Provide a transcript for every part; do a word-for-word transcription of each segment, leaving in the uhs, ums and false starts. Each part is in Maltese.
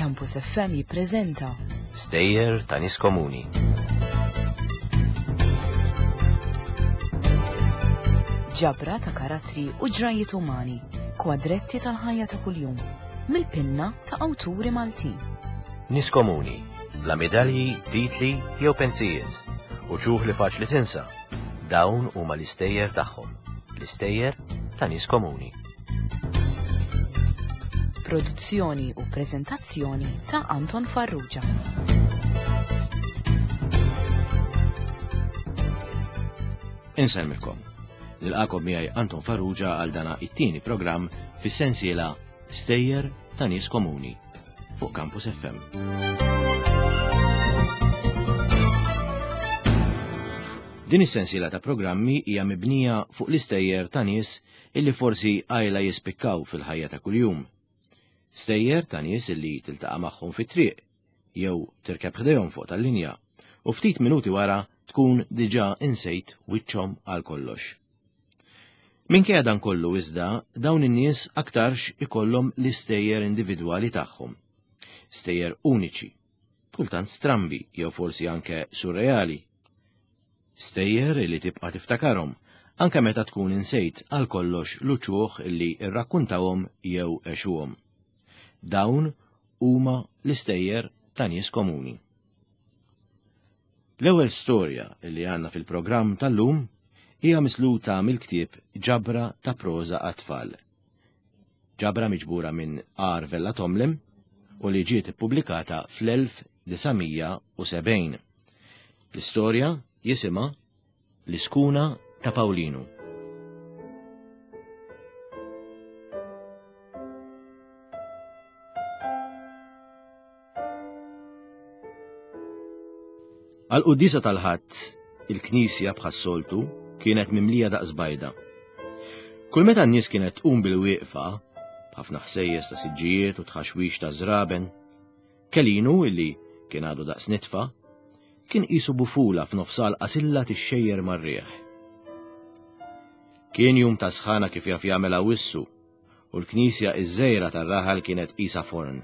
Campus F M jippreżenta Stejjer ta' nies komuni. Ġabra ta' karattri u ġrajiet umani, kwadretti tal-ħajja ta' kuljum, mill-pinna ta' awturi Maltin. Nies komuni, bla medalji, titli jew pensijiet, u ċuħ li faċli tinsa. Dawn huma l-istejjer tagħhom, l-istejjer ta' nies komuni. Produzzjoni u preżentazzjoni ta' Anton Farrugia. Insellmilkom. Nilqakom miegħi Anton Farrugia għal dana it-tieni programm fis-sensiela Stejjer ta' Nies Komuni fuq Campus F M. Din is-sensiela ta' programmi hija mibnija fuq l-istejjer ta' nies illi forsi għajla jispikkaw fil-ħajja ta' kuljum. Stejjer ta' nies illi tiltaqa' magħhom fit-triq jew tirkeb ħdejhom fuq tal-linja u ftit minuti wara tkun diġà insejt wiċċhom għal kollox. Minkejja dan kollu iżda, dawn in-nies aktarx ikollhom l-istejjer individwali tagħhom. Stejjer uniċi, kultant strambi jew forsi anke surreali. Stejjer li tibqa' tiftakarhom, anke meta tkun insejt għal kollox l-uċuħ li rrakkuntawhom jew għexuhom. Dawn huma l-istejjer ta' nies komuni. L-ewwel storja li għandna fil-programm tal-lum hija misluta mill-ktieb Ġabra ta' proża għat-tfal. Ġabra miġbura minn R. Vella Tomlin u li ġiet ippubblikata fl-elf disa' mija u sebgħin. L-istorja jisimha L-Iskuna ta' Pawlinu. Għal-quddiesa tal-Ħadd, il-knisja bħas-soltu kienet mimlija daqs bajda. Kull meta n-nies kienet tqum bil-wieqfa, b'ħafna ħsejjes ta' siġġijiet u tħaxwix ta' żraben, Kelinu, illi kien għadu daqs nitfa, kien qisu bufula f'nofs għalqa silla tixxejjer mar-riħ. Kien jum ta' sħana kif jaf jagħmel Awwissu, u l-knisja iż-żejra tar-raħal kienet qisha forn.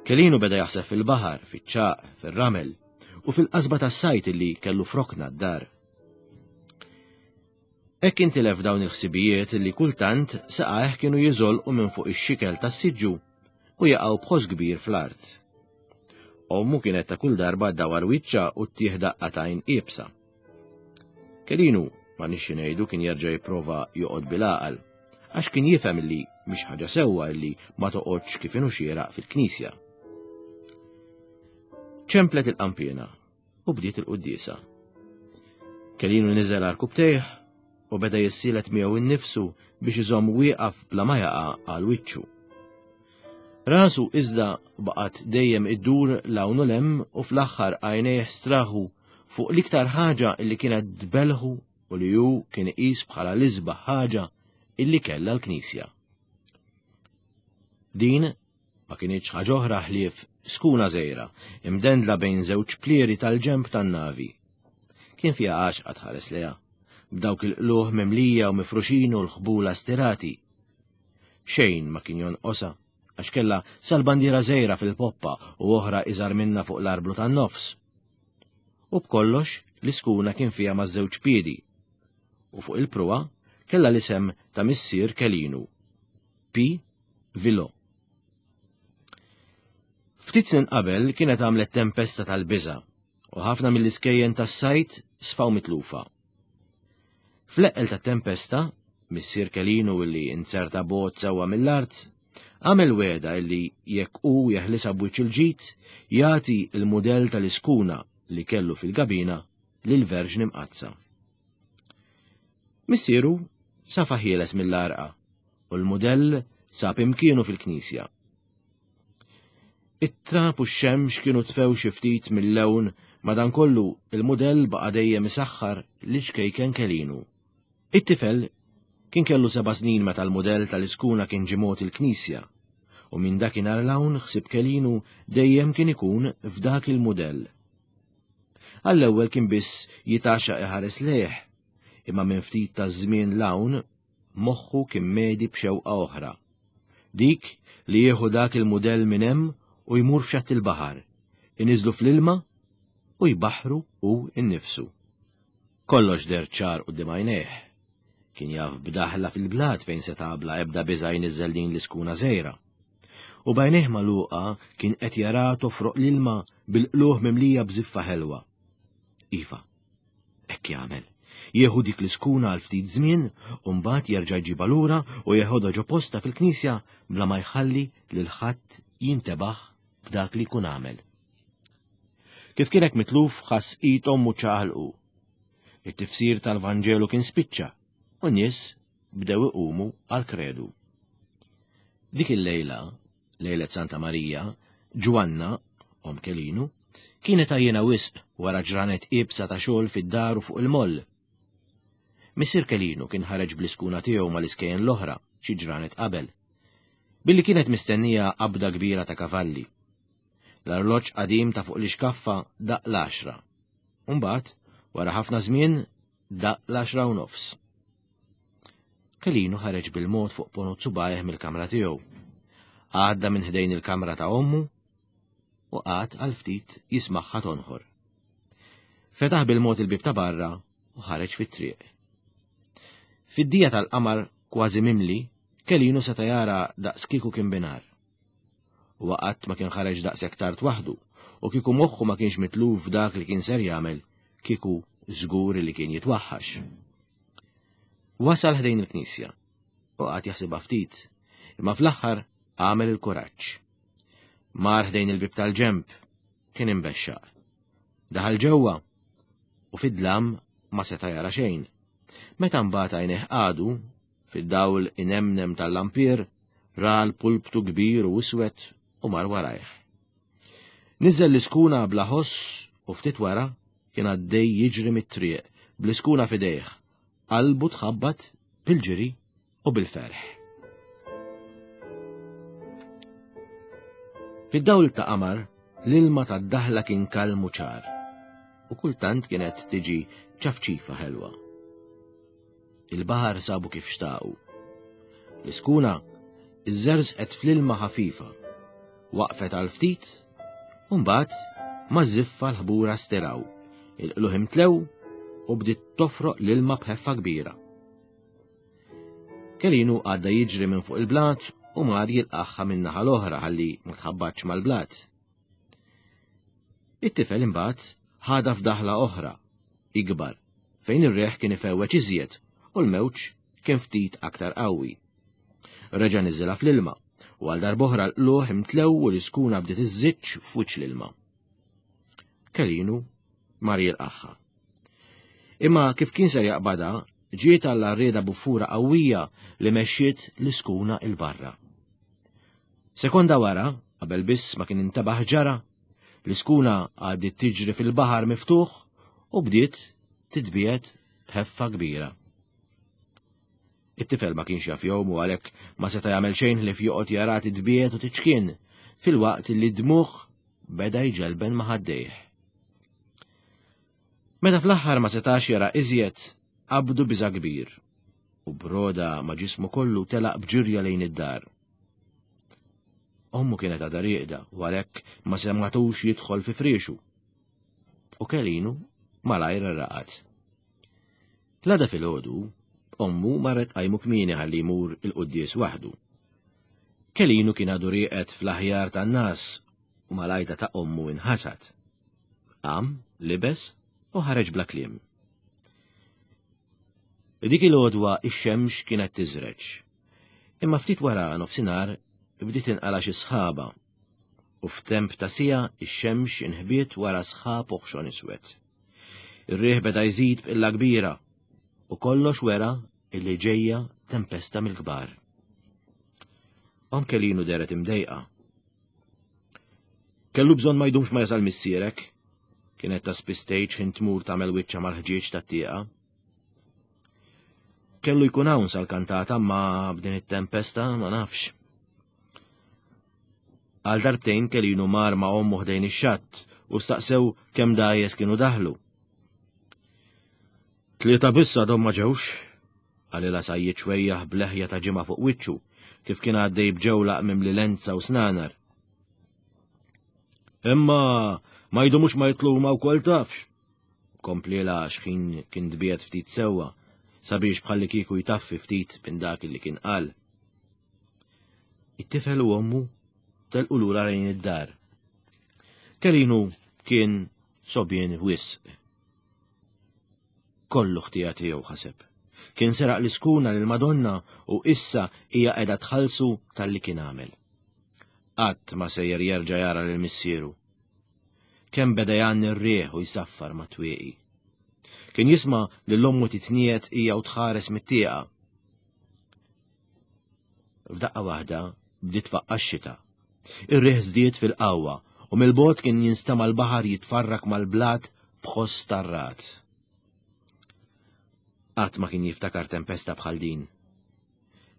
Kelinu beda jaħseb fil-baħar, fiċ-ċaq, fir-ramel, u fil-qasba tas-sajt illi kellu frokna d-dar. Hekk intilef dawn il-ħsibijiet li kultant saqajh kienu jiżolqu minn fuq ix-xikel tas-siġġu u jaqgħu b'ħoss kbir fl-art. Ommu kienet ta' kull darba ddawar wiċċha u ttieħ daqqa t'għajn iebsa. Kelinu, ma nixxi ngħidu, kien jerġa' jipprova joqgħod bil-għaqal, għax kien jifhem li mhix ħaġa sewwa li ma toqgħodx kif inhu xieraq fil-knisja. Ċemplet il-qanpiena u bdiet il-quddiesa. Kelinu niżel għarkubtejh u beda jissielet miegħu innifsu biex iżomm wieqaf bla ma jaqa' għal wiċċu. Rasu iżda baqgħet dejjem iddur 'l hawn u 'l hemm u fl-aħħar għajnejh straħu fuq l-iktar ħaġa illi kienet tbelħu u li hu kien iqis bħala l-isbaħ ħaġa illi kellha l-knisja. Din ma kinitx ħaġa oħra ħlief skuna żgħira, imdendla bejn żewġ plieri tal-ġenb tan-navi. Kien fiha għaxqa tħares lejha, b'dawk il-qluħ mimlija u mifruxin u l-ħbula stirati. Xejn ma kien jonqosha, għax kellha sal-bandiera żgħira fil-poppa u oħra iżgħar minnha fuq l-arblu tan-nofs. U b'kollox l-iskuna kien fiha maż-żewġ piedi, u fuq il-pruwa kellha l-isem ta' missier Kelinu, P. Vilo. Ftit snin qabel kienet għamlet tempesta tal-biża' u ħafna mill-iskejjen tas-sajt sfaw mitlufa. Fl-eqqel tat-tempesta, missier Kelinu illi inzerta bot sewwa mill-art, għamel wegħda illi jekk hu jeħlisha b'wiċċ il-ġid, jagħti l-mudell tal-iskuna li kellu fil-gabina lill-Verġni Mqaddsa. Missieru safa ħieles mill-għarqa u l-mudell sab imkienu fil-knisja. It-trab u x-xemx kienu tfew xi ftit mill-lewn, madankollu il-mudell baqa' dejjem isaħħar li ċkejken Kelinu. It-tifel kien kellu seba' snin meta l-mudell tal-iskuna kien ġie mogħti l-knisja, u minn dakinhar l-hawn ħsieb Kelinu dejjem kien ikun f'dak il-mudell. Għall-ewwel kien biss jitaxxa iħares lejh, imma minn ftit ta' żmien l-hawn moħħu kien medi b'xewqa oħra, Dik li jieħu dak il-mudell minn hemm u jmur f'xatt il-baħar, iniżlu fl-ilma u jbaħħru hu nnifsu. Kollox deher ċar quddiem għajnejh. Kien jaf b'daħla fil-blat fejn seta' bla ebda biża' jniżżel din l-iskuna żgħira. U b'għajnejh magħluqa kien qed jara tofroq l-ilma bil-qlugħ mimlija b'żiffa ħelwa. Iva, hekk jagħmel. Jieħu dik l-iskuna għal ftit żmien u mbagħad jerġa' jġibha lura u jeħodha ġo postha fil-knisja bla ma jħalli lil ħadd jintebaħ b'dak li jkun għamel. Kif kien hekk mitluf ħass id ommu ċaqalqu. It-tifsir tal-Vanġelu kien spiċċa u n-nies bdew iqumu għall-kredu. Dik il-lejla, lejlet Santa Marija, Ġwanna, omm Kelinu, kienet għajjiena wisq wara ġranet iebsa ta' xogħol fid-dar u fuq il-moll. Missier Kelinu kien ħareġ bl-iskuna tiegħu mal-iskejjen l-oħra xi ġranet qabel, billi kienet mistennija qabda kbira ta' kavalli. L-arloġġ qadim ta' fuq l-ixkaffa daqq l-għaxra. Mbagħad, wara ħafna żmien, daqq l-għaxra u nofs. Kelinu ħareġ bil-mod fuq ponot subgħajh mill-kamra tiegħu. Għadda minn ħdejn il-kamra ta' ommu u qagħad għal ftit jismagħha tonħor. Fetaħ bil-mod il-bieb ta' barra u ħareġ fit-triq. Fid-dija tal-qamar kważi mimli, Kelinu seta' jara daqs kieku kien binhar. Huwa qatt ma kien ħareġ daqshekk tard waħdu, u kieku moħħu ma kienx mitluf f'dak li kien ser jagħmel, kieku żgur li kien jitwaħħax. Wasal ħdejn il-knisja u qagħad jaħsibha ftit, imma fl-aħħar għamel il-kuraġġ. Mar ħdejn il-bieb tal-ġenb, kien imbexxaq. Daħal ġewwa u fid-dlam ma seta' jara xejn. Meta mbagħad għajnejh qagħdu, fid-dawl inemnem tal-lampier, ra l-pulptu kbir u iswed u mar warajh. Niżel l-iskuna bla ħoss u ftit wara kien għaddej jiġri mit-triq bl-iskuna f'idejh, qalbu tħabbat bil-ġiri u bil-ferħ. Fid-dawl ta' qamar, l-ilma tad-daħla kien kalm u ċar, u kultant kienet tiġi ċafċifa ħelwa. Il-baħar sabu kif xtaqu. L-iskuna iżżerżqet fl-ilma ħafifa, waqfet għal ftit, u mbagħad maż-żiffa l-ħbura stiraw, il-qlugħ imtlew u bdiet tofroq l-ilma b'ħeffa kbira. Kelinu għadda jiġri minn fuq il-blat u mar jilqagħha minn naħa l-oħra ħalli ma tħabbatx mal-blat. It-tifel imbagħad ħadha f'daħla oħra, ikbar, fejn ir-riħ kien ifewweġ iżjed u l-mewġ kien ftit aktar qawwi. Reġa' niżilha fl-ilma u għal darb'oħra l-qlugħ imtlew u l-iskuna bdiet iżżiġġ f'wiċċ l-ilma. Kelinu mar jilqagħha. Imma kif kien ser jaqbadha, ġiet għall-għarrieda buffura qawwija li mexxiet l-iskuna 'l barra. Sekonda wara, qabel biss ma kien intabaħ ġara, l-iskuna għaddiet tiġri fil-baħar miftuħ u bdiet titbiegħed b'ħeffa kbira. It-tifel ma kienx jaf jgħum u għalhekk ma seta' jagħmel xejn ħlief joqgħod jara titbiegħed u tiċkien filwaqt li d-dmugħ beda jġelben ma' ħaddejh. Meta fl-aħħar ma setax jara iżjed, qabdu biża' kbir u broda ma' ġismu kollu telaq b'ġirja lejn id-dar. Ommu kienet għadha rieqda u għalhekk ma semgħatux jidħol fi friexu. U Kelinu malajr raqad. L-għada filgħodu, ommu marret qajmu kmieni ħalli jmur il-quddies waħdu. Kelinu kien għadu rieqed fl-aħjar tan-nas u malajta ta' ommu inħasad. Qam, libes u ħareġ bla kliem. Dik il-għodwa ix-xemx kienet tiżreġ. Imma ftit wara nofsinhar bdiet tinqala xi sħaba u f'temp ta' siegħa ix-xemx inħbiet wara sħab oħxon iswed. Ir-riħ beda jżid b'qilla kbira u kollox wera illi ġejja tempesta mill-kbar. Omm Kelinu dehret imdejqa. Kellu bżonn ma jdumx ma jasal missierek, kienet ta' spiss tgħid x'ħin tmur tagħmel wiċċha mal-ħġieġ tat-tieqa. Kellu jkun hawn sal-kantata ma b'din it-tempesta ma nafx. Għal darbtejn Kelinu mar ma' ommu ħdejn ix-xatt u staqsew kemm dgħajjes kienu daħlu. Tlieta biss għadhom ma ġewx, Qalilha sajjied xwejjaħ b'leħja ta' ġimgħa fuq wiċċu, kif kien għaddej b'ġewlaq mimli lenza u snanar. Imma ma jdumux ma jitlu ma wkoll tafx. Kompliela xħin kien tbiegħed ftit sewwa, sabiex bħalli kieku jtaffi ftit minn dak li kien qal. It-tifel u ommu telqu lura lejn id-dar. Kelinu kien sobjien wisq. Kollu ħtija tiegħu ħaseb. Kien seraq l-iskuna lil Madonna u issa hija qiegħda tħallsu talli kien għamel. Qatt ma sejjer jerġa' jara lil missieru. Kemm beda jgħanni r-rieħ u jsaffar ma' twieqi. Kien jisma' lil ommu titniet hija u tħares mit-tieqa. F'daqqa waħda bdiet tfaqqa x-xita. Ir-riħ żdied fil-qawwa u mill-bogħod kien jinstema' l-baħar jitfarrak mal-blat b'ħoss tar-ragħad. Qatt ma kien jiftakar tempesta bħal din.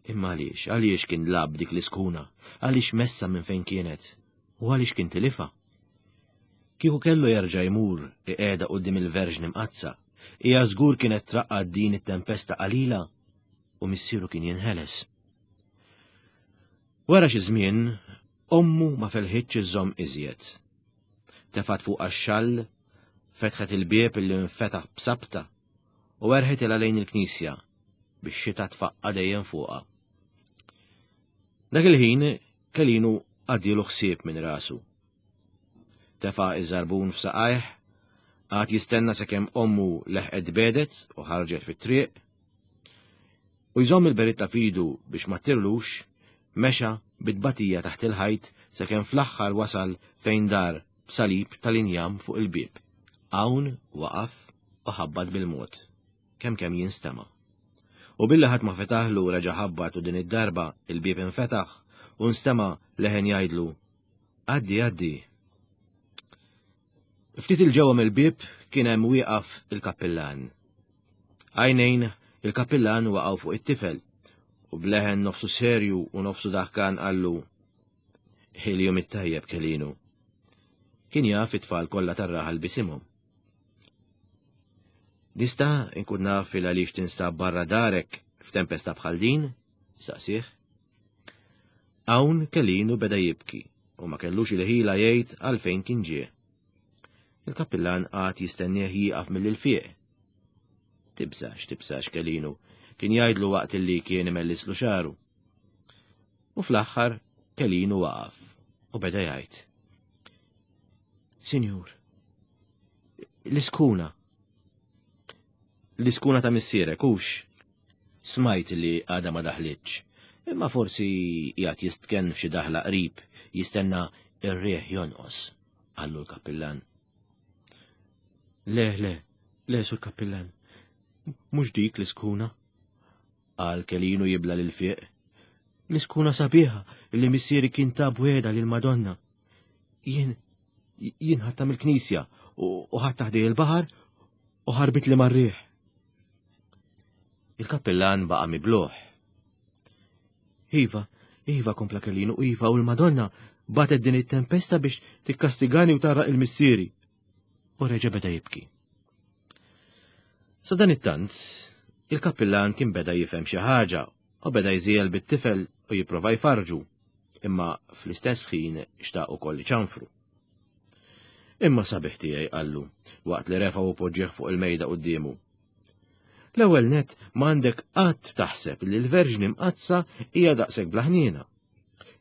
Imma għaliex, għaliex kien lab dik l-iskuna, għaliex messa minn fejn kienet, u għaliex kien tilifha. Kieku kellu jerġa' jmur iqiegħda quddiem il-Verġni Mqaddsa, hija żgur kienet traqqad din it-tempesta qalila u missieru kien jinħeles. Wara xi żmien, ommu ma felħitx iżżomm iżjed. Tefgħet fuq għax-xall, fetħet il-bieb illi nfetaħ b'sabta u erħitilha lejn il-knisja biex xita tfaqqa dejjem fuqha. Dak il-ħin Kelinu għaddielu ħsieb minn rasu. Tefa' iż-żarbun f'saqajh, qagħad jistenna sakemm ommu leħqet bedet u ħarġet fit-triq, u jżomm il-beritta f'idu biex ma ttirlux, mexa bit-tbatija taħt il-ħajt sakemm fl-aħħar wasal fejn dar b'salib tal-injam fuq il-bieb. Hawn waqaf u ħabbat bil-mod, kemm kemm jinstema'. U billi ħadd ma fetaħlu reġa' ħabbat u din id-darba il-bieb infetaħ u nstema' leħen jgħidlu: "Għaddi, għaddi." Ftit il-ġewwa mill-bieb kien hemm wieqaf il-kappillan. Għajnejn il-kappillan waqgħu fuq it-tifel u bleħen nofsu serju u nofsu daħkan qallu: "Il-jum it-tajjeb, Kelinu." Kien jaf it-tfal kollha tar-raħal b'isimhom. "Nista' nkun naf il għaliex tinstab barra darek f'tempesta bħal din?" saqsih. Hawn Kelinu beda jibki u ma kellux il-ħila jgħid għalfejn kien ġie. Il-kappillan qagħad jistennieh jieqaf mill-ilfieq. "Tibżax, tibżax, Kelinu," kien jgħidlu waqt li kien imellislu xagħru. U fl-aħħar Kelinu waqaf u beda jgħid: "Sinjur, l-iskuna. L-iskuna ta' missierek, hux? Smajt li għadha ma daħlitx, imma forsi qiegħed jistkenn f'xi daħla qrib, jistenna ir-riħ jonqos," qallu l-kappillan. "Le, le, le, sur kappillan, mhux dik l-iskuna," qal Kelinu jibla l-fiq. "L-iskuna sabiħa li missieri kien ta b'wegħda lil Madonna. Jien, jien ħadtha mill-knisja u ħadtha ħdejn il-baħar u ħarbitli mar-riħ." Il-kappillan baqa' mibluh. "Iva, iva," kompla Kelinu, "iva, u l-Madonna bagħtet din it-tempesta biex tikkastigani u tgħarraq lil missieri." U reġa' beda jibki. Sa dan it-tant, il-kappillan kien beda jifhem xi ħaġa u beda jżiegħel bit-tifel u jipprova jfarġu, imma fl-istess ħin xtaq ukoll iċanfru. "Imma sabiħ tiegħi," qallu, waqt li refa' u poġġieħ fuq il-mejda quddiemu. "L-ewwel net m'għandek qatt taħseb li l-Verġni Mqaddsa hija daqshekk bla ħniena.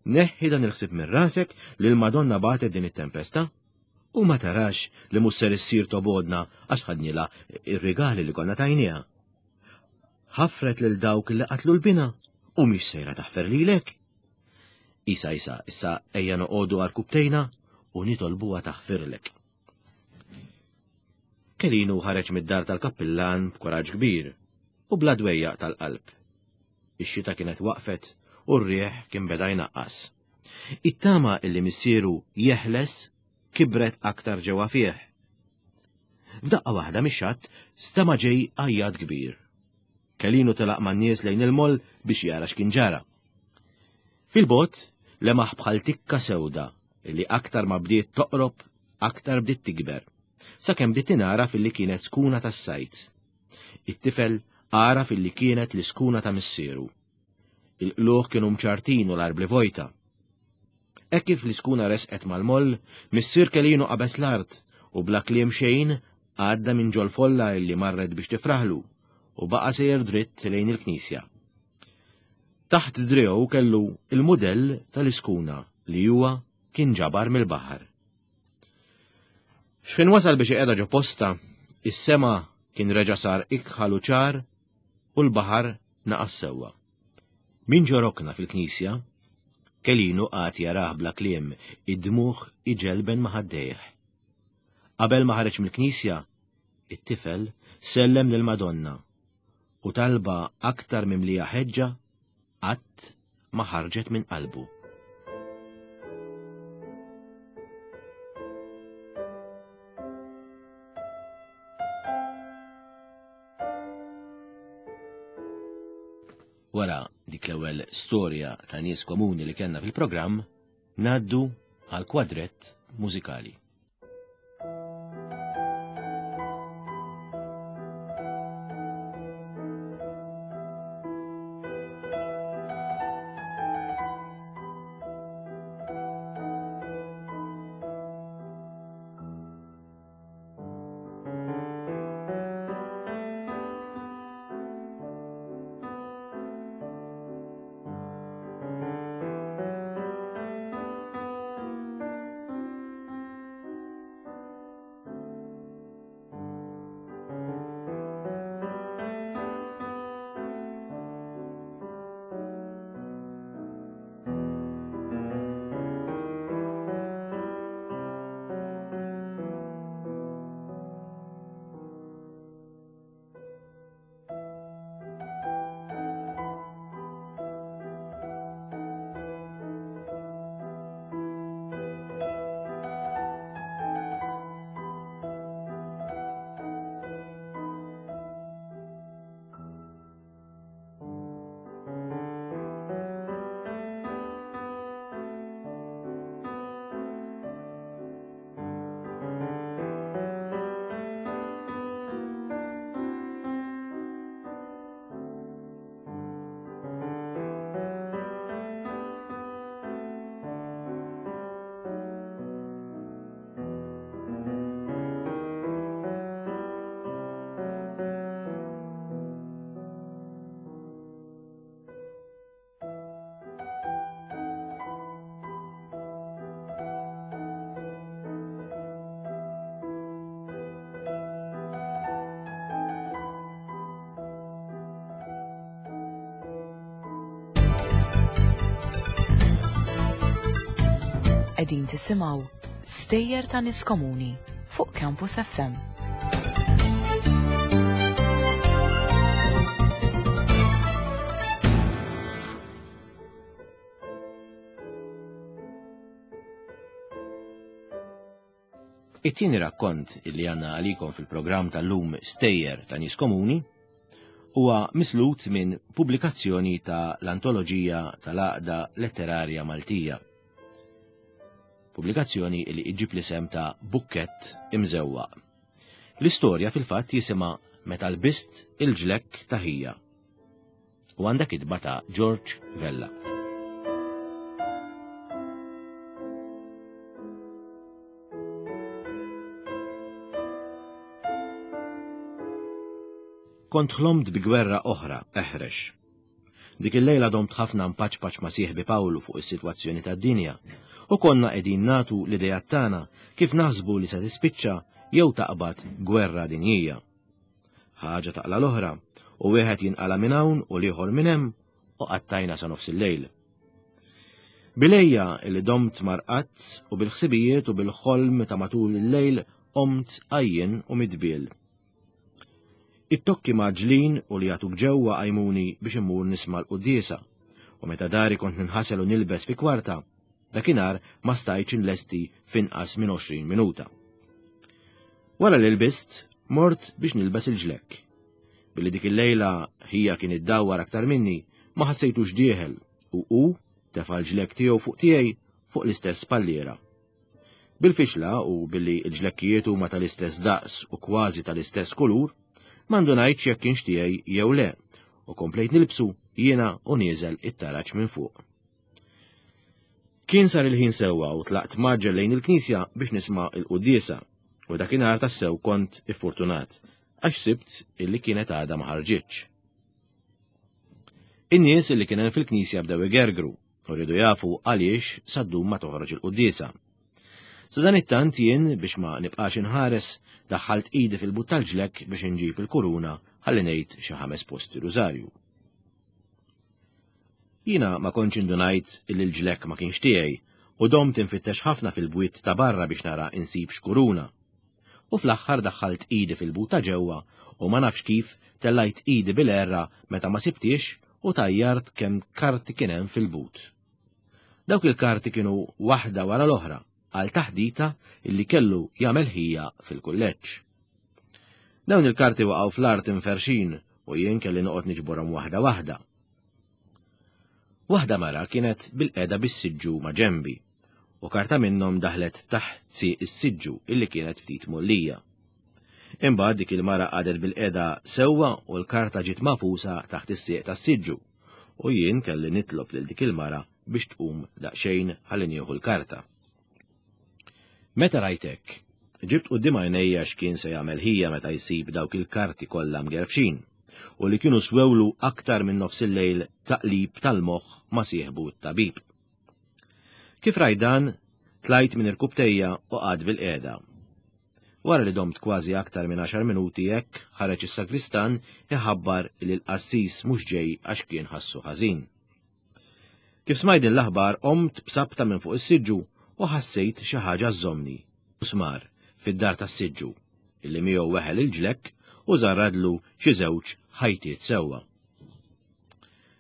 Neħħi dan il-ħsieb minn rasek li l-Madonna bagħtet din it-tempesta, u ma tarax li mhux ser issir tobgħodna għax ħadnilha ir-rigali li konna tajnieha. Ħafret lil dawk li qatlu lil binha u mhix sejra taħfer lilek. Isa, isa, issa ejja noqogħdu għarkupptejna u nitolbuha taħfirlek." Kelinu ħareġ mid-dar tal-kappillan b'kuraġġ kbir u bla dwejjaq tal-qalb. Ix-xita kienet waqfet u r-rieħ kien beda jnaqqas. It-tama illi missieru jeħles kibret aktar ġewwa fih. F'daqqa waħda mix-xatt stama ġej għajjat kbir. Kelinu telaq man-nies lejn il-moll biex jara x'kien ġara. Fil-bogħod lemaħ bħal tikka sewda li aktar ma bdiet toqrob, aktar bdiet tikber, sakemm bdiet tingħaraf illi kienet skuna tas-sajd. It-tifel għaraf illi kienet l-iskuna ta' missieru. Il-qluħ kienu mċartin u l-arbli vojta. Hekk kif l-iskuna resqet mal-moll, missier Kelinu qabeż l-art u bla kliem xejn għadda minn ġol folla illi marret biex tifraħlu u baqa' sejjer dritt lejn il-knisja. Taħt driegħu kellu il-mudell tal-iskuna li huwa kien ġabar mill-baħar. X'ħin wasal biex iqiegħda ġo posta, is-sema kien reġa' sar ikħal u ċar u l-baħar naqas sewwa. Min ġo rokna fil-knisja, Kelinu qagħad jarah bla kliem, id-dmugħ iġelben ma' ħaddejh. Qabel ma ħareġ mill-knisja, it-tifel sellem lill-Madonna u talba aktar mimlija ħeġġa qatt ma ħarġet minn qalbu. Wara dik l-ewwel storja ta' nies komuni li kellna fil-programm, ngħaddu għal kwadrett mużikali. Qegħdin tisimgħu Stejjer ta' Nies Komuni fuq Campus F M. It-tieni rakkont illi għandna għalikom fil-programm tal-lum Stejjer ta' Nies Komuni huwa mislut minn pubblikazzjoni ta' l-Antoloġija tal-Għaqda Letterarja Maltija. Pubblikazzjoni li iġġib l-isem ta' Bukkett Imżewwaq. L-istorja fil-fatt jisimha Meta lbist il-ġlekk ta' ħija. U għandha kitba ta' George Vella. Kont ħlomt bi gwerra oħra, eħrex. Dik il-lejla domt ħafna mpaċpaċ ma' sieħbi Pawlu fuq is-sitwazzjoni tad-dinja, u konna qegħdin nagħtu l-idejat tagħna kif naħsbu li se tispiċċa jew taqbad gwerra dinjija. Ħaġa taqla l-oħra, u wieħed jinqala minn hawn u l-ieħor minn hemm, u qattajna sa nofs il-lejl. Bilejja li domt marqatt u bil-ħsibijiet u bil-ħolm ta' matul il-lejl qomt għajjien u midbiel. It-tokki maġlin u li jagħtuk ġewwa qajmuni biex immur nisma' l-quddiesa, u meta dari kont ninħasel u nilbes fi kwarta, dakinhar ma stajtx inlesti f'inqas minn għoxrin minuta. Wara li lbist, mort biex nilbes il-ġlekk. Billi dik il-lejla ħija kien iddawwar aktar minni, ma ħassejtux dieħel u hu tefa' l-ġlekk tiegħu fuq tiegħi fuq l-istess spalliera. Bil-fixla u billi l-ġlekkijiet huma tal-istess daqs u kważi tal-istess kulur, Ma ndunajtx jekk kienx tiegħi jew le, u komplejt nilbsu jiena u nieżel it-taraġ minn fuq. Kien sar il-ħin sewwa u tlaqt mgħaġġel lejn il-knisja biex nisma' il-quddiesa, u dakinhar tassew kont iffortunat għax sibt illi kienet għadha ma ħarġitx. In-nies illi kien hemm fil-knisja bdew igergru u riedu jafu għaliex sa ddum ma toħroġ il-quddiesa. Sadanittant jien biex ma nibqax inħares daħħalt idi fil-but tal-ġlekk biex inġib il-kuruna ħalli ngħid xi ħames posti rużarju. Jiena ma kontx indunajt illi l-ġlekk ma kienx tiegħi u domt infittex ħafna fil-bwiet ta' barra biex nara insib x'kuruna. U fl-aħħar daħħalt idi fil-but ta' ġewwa u ma nafx kif tellajt idi bil-għerra meta ma sibtix u tajjart kemm karti kien hemm fil-but. Dawk il-karti kienu waħda wara l-oħra għal taħdita illi kellu jagħmel ħija fil-kulleġġ. Dawn il-karti waqgħu fl-art inferxin u jien kelli noqgħod niġborhom waħda waħda. Waħda mara kienet bilqiegħda bis-siġġu ma' ġembi u karta minnhom daħlet taħt sieq is-siġġu illi kienet ftit mgħollija. Imbagħad dik il-mara qagħdet bilqiegħda sewwa u l-karta ġiet magħfusa taħt is-sieq tas-siġġu u jien kelli nitlob lil dik il-mara biex tqum daqsxejn ħalli nieħu l-karta. Meta rajt hekk, ġibt quddiem għajnejja x'kien se jagħmel ħija meta jsib dawk il-karti kollha mgerfxin u li kienu swewlu aktar minn nofs il-lejl taqlib tal-moħħ ma' sieħbu t-tabib. Kif rajt dan, tlajt minn irkubtejja u qgħadt bilqiegħda. Wara li domt kważi aktar minn għaxar minuti hekk, ħareġ is-sakristan iħabbar li l-qassis mhux ġej għax kien ħassu ħażin. Kif smajt din l-aħbar, qomt b'sabta minn fuq is-siġġu u ħassejt xi ħaġa żżommni. Musmar fid-dar tas-siġġu, illi miegħu weħel il-ġlekk u żarradlu xi żewġ ħajtiet sewwa.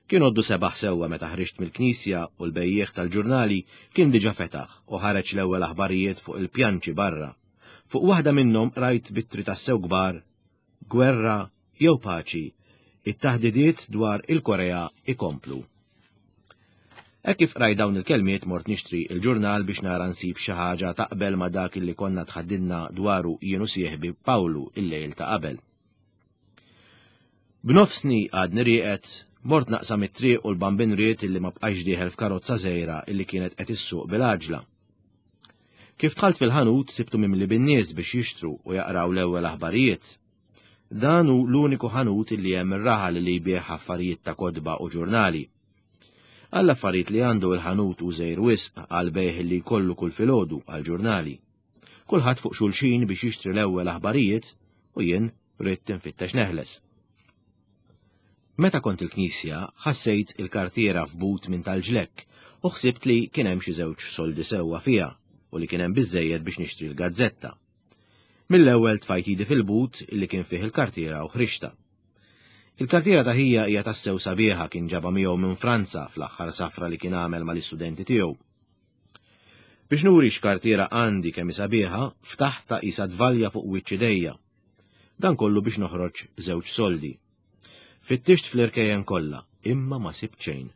Kien għoddu sebaħ sewwa meta ħriġt mill-knisja u l-bejjiegħ tal-ġurnali kien diġà fetaħ u ħareġ l-ewwel aħbarijiet fuq il-pjanċi barra. Fuq waħda minnhom rajt b'ittri tassew kbar, gwerra jew paċi, it-taħdidiet dwar il-Korea ikomplu. Hekk kif qrajt dawn il-kelmiet mort nixtri il-ġurnal biex nara nsib xi ħaġa taqbel ma' dak illi konna tħaddidna dwaru jien u sieħbi Pawlu il-lejl ta' qabel. B'nofsni għadni rieqed, mort naqsam it-triq u l-bambin ried illi ma bqajx dieħel f'karozza żgħira illi kienet qed issuq bil-għaġla. Kif dħalt fil-ħanut sibtu mimli bin-nies biex jixtru u jaqraw l-ewwel aħbarijiet. Dan hu l-uniku ħanut illi hemm ir-raħal li jbigħ affarijiet ta' kotba u ġurnali. Għall-affarijiet li għandu il-ħanut hu żgħir wisq għal bejgħ li jkollu kull filgħodu għal ġurnali. Kulħadd fuq xulxin biex jixtri l-ewwel aħbarijiet u jien ridt infittex neħles. Meta kont il-knisja, ħassejt il-kartiera f'but minn tal-ġlekk u ħsibt li kien hemm xi żewġ soldi sewwa fiha u li kien hemm biżżejjed biex nixtri l-gazzetta. Mill-ewwel tfajt idi fil-but li kien fih il-kartiera u ħriġtha. Il-kartiera ta' ħija hija tassew sabiħa kien ġabha miegħu minn Franza fl-aħħar safra li kien għamel mal-istudenti tiegħu. Biex nuri x'kartiera għandi kemm sabiħa, ftaħtha qisha tvalja fuq wiċċ idejja. Dan kollu biex noħroġ żewġ soldi. Fittixt fl-irkejjen kollha, imma ma sibt xejn.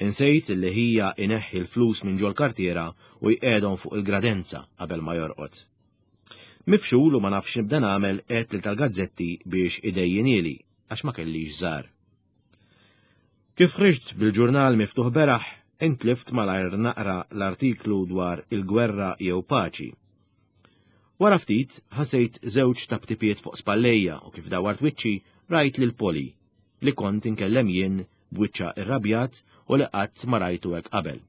Insejt li ħija ineħħi l-flus minn ġol-kartiera u jqiegħdhom fuq il-gradenza qabel ma jorqod. Mifxul u ma nafx nibda nagħmel għedt lil tal-gazzetti biex idejjinieli għax ma kellix żar. Kif ħriġt bil-ġurnal miftuħ beraħ, intlift malajr naqra l-artiklu dwar il-gwerra jew paċi. Wara ftit ħassejt żewġ taptipiet fuq spallejja u kif dawart wiċċi rajt lil Poli li kont inkellem jien b'wiċċha irrabjat u li qatt ma rajtu hekk qabel.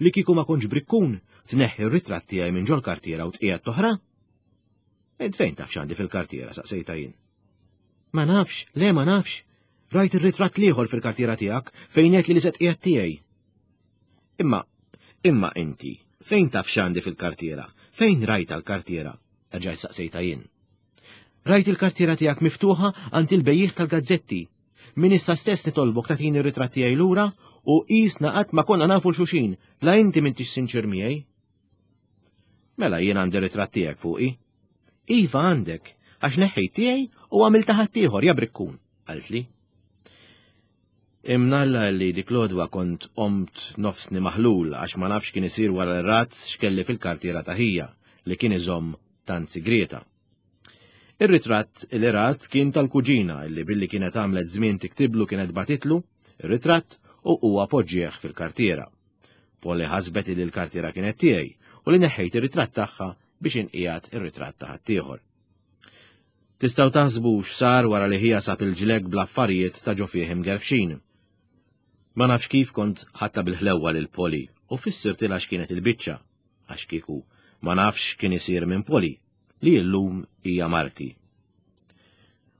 Li kieku ma kontx brikkun, tneħħi r-ritratt tiegħi minn ġol-kartiera u tqiegħed t'oħra? Int fejn taf x'għandi fil-kartiera, saqsejtha jien. Ma nafx, le ma nafx. Rajt ir-ritratt l-ieħor fil-kartiera tiegħek fejn għedt li li se tqiegħed tiegħi. Imma, imma inti, fejn taf x'għandi fil-kartiera? Fejn rajt l-kartiera? Erġajt saqsejtha jien. Rajt il-kartiera tiegħek miftuħa għand il-bejjiegħ tal-gazzetti. Min issa stess nitolbok tagħtini r-ritratt tiegħi lura u qisna qatt ma konna nafu 'l xulxin, la inti m'intix sinċier miegħi. Mela jien għandi ritratt tiegħek fuqi. Iva għandek, għax neħħejt tiegħi u għamilt ta' ħaddieħor ja brikkun, qaltli. Imnalla li dik l-għodwa kont qomt nofsni maħlul għax ma nafx kien isir wara l-razz x'kelli fil-kartiera ta' ħija li kien iżomm tant sigrieta. Ir-ritratt li rat kien tal-kuġina illi billi kienet għamlet żmien tiktiblu kienet bagħtitlu ir-ritratt u huwa poġġieħ fil-kartiera. Polly ħasbet li l-kartiera kienet tiegħi u li neħħejt ir-ritratt tagħha biex inqiegħed ir-ritratt ta' ħaddieħor. Tistgħu taħsbu x'sar wara li ħija sab il-ġleg bl-affarijiet ta' ġo fih imgerfxin. Ma nafx kif kont ħadtha bil-ħlewwa lil Polly u fissirtilha x'kienet il-biċċa, għax kieku ma nafx kien isir minn Polly li llum hija marti.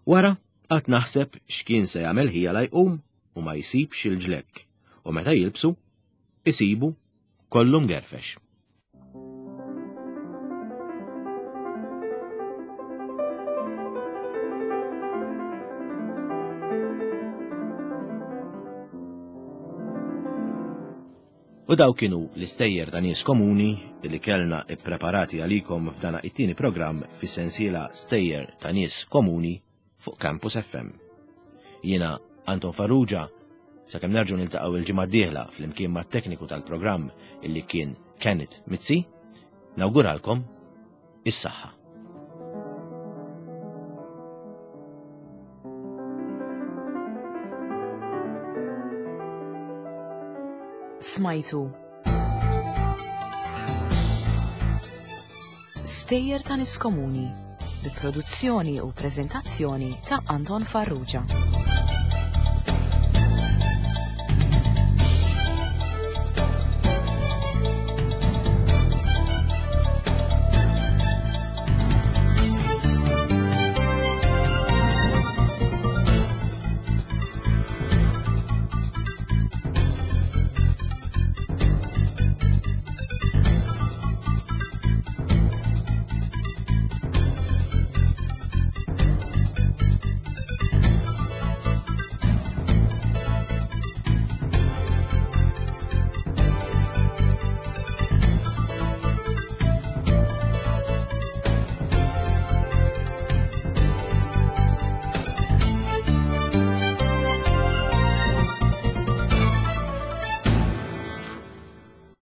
Wara qatt naħseb x'kien se jagħmel ħija la jqum u ma jsibx il-ġlekk u meta jilbsu isibu kollu mgerfex. U daw kienu l-istejjer ta' nies komuni li kellna ippreparati għalikom f'dana it-tieni programm fis-sensiela Stejjer ta' nies komuni fuq Campus F M. Jiena Anton Farrugia, sakemm nerġgħu niltaqgħu il-ġimgħa d-dieħla flimkien mat-tekniku tal-programm illi kien Kenneth Mizzi, nawguralkom is-saħħa. Smajtu Stejjer ta' nies komuni bi produzzjoni u preżentazzjoni ta' Anton Farrugia.